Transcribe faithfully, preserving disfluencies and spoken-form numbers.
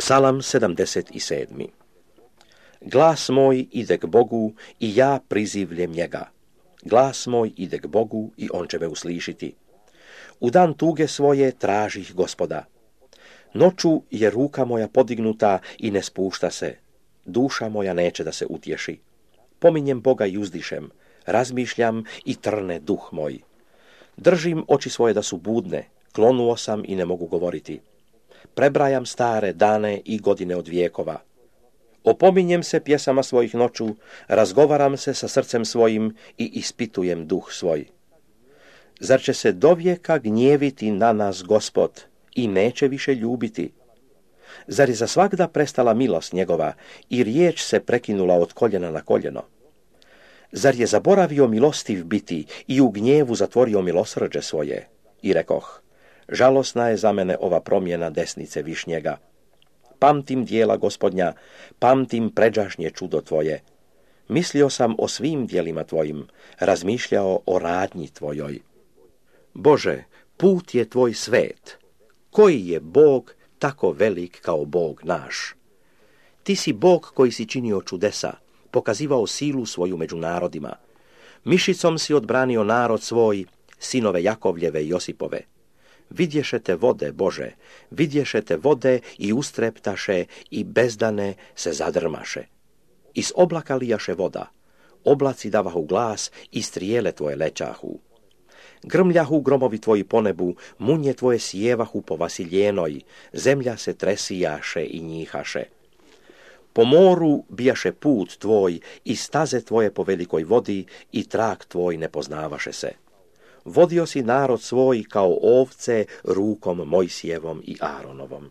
Psalam sedamdeset sedam. Glas moj ide k Bogu i ja prizivljem njega. Glas moj ide k Bogu i on će me uslišiti. U dan tuge svoje tražih Gospoda. Noću je ruka moja podignuta i ne spušta se. Duša moja neće da se utješi. Pominjem Boga i uzdišem. Razmišljam i trne duh moj. Držim oči svoje da su budne. Klonuo sam i ne mogu govoriti. Prebrajam stare dane i godine od vijekova. Opominjem se pjesama svojih noću, razgovaram se sa srcem svojim i ispitujem duh svoj. Zar će se dovijeka gnjeviti na nas Gospod i neće više ljubiti? Zar je za svagda prestala milost njegova i riječ se prekinula od koljena na koljeno? Zar je zaboravio milostiv biti i u gnjevu zatvorio milosrđe svoje? I rekoh, žalosna je za mene ova promjena desnice višnjega. Pamtim dijela Gospodnja, pamtim pređašnje čudo tvoje. Mislio sam o svim dijelima tvojim, razmišljao o radnji tvojoj. Bože, put je tvoj svet. Koji je Bog tako velik kao Bog naš? Ti si Bog koji si činio čudesa, pokazivao silu svoju među narodima. Mišicom si odbranio narod svoj, sinove Jakovljeve i Josipove. Vidješete vode, Bože, vidješete vode i ustreptaše i bezdane se zadrmaše. Iz oblaka lijaše voda, oblaci davahu glas i strijele tvoje lećahu. Grmljahu gromovi tvoji po nebu, munje tvoje sjevahu po vasiljenoj, zemlja se tresijaše i njihaše. Po moru bijaše put tvoj i staze tvoje po velikoj vodi i trak tvoj ne poznavaše se. Vodio si narod svoj kao ovce rukom Mojsijevom i Aaronovom.